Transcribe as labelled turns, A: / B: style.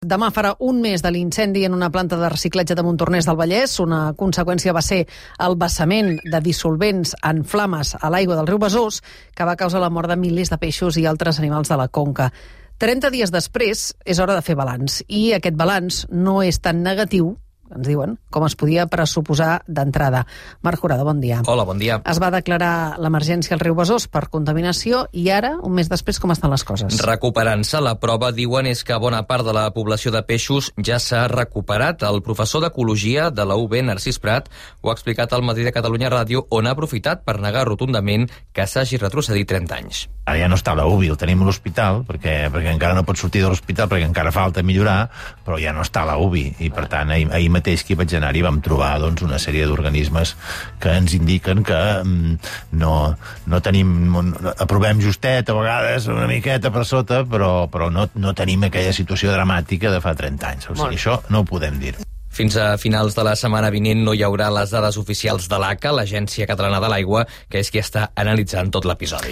A: Demà farà un mes de l'incendi en una planta de reciclatge de Montornès del Vallès. Una conseqüència va ser el vessament de dissolvents en flames a l'aigua del riu Besòs, que va causar la mort de milers de peixos i altres animals de la conca. 30 dies després és hora de fer balanç, i aquest balanç no és tan negatiu, ens diuen, com es podia pressuposar d'entrada. Marc Jurado, bon dia.
B: Hola, bon dia.
A: Es va declarar l'emergència al riu Besòs per contaminació i ara, un mes després, com estan les coses?
B: Recuperant-se. La prova, diuen, és que bona part de la població de peixos ja s'ha recuperat. El professor d'Ecologia de la UB, Narcís Prat, ho ha explicat al Matí de Catalunya Ràdio, on ha aprofitat per negar rotundament que s'hagi retrocedit 30 anys.
C: Ara ja no està a la UBI, el tenim a l'hospital, perquè encara no pot sortir de l'hospital, perquè encara falta millorar, però ja no està a la UBI. I, per tant, ahir mateix que hi vaig anar i vam trobar una sèrie d'organismes que ens indiquen que no tenim... Aprovem justet, a vegades, una miqueta per sota, però no tenim aquella situació dramàtica de fa 30 anys. O sigui, això no ho podem dir.
B: Fins a finals de la setmana vinent no hi haurà les dades oficials de l'ACA, l'Agència Catalana de l'Aigua, que és qui està analitzant tot l'episodi.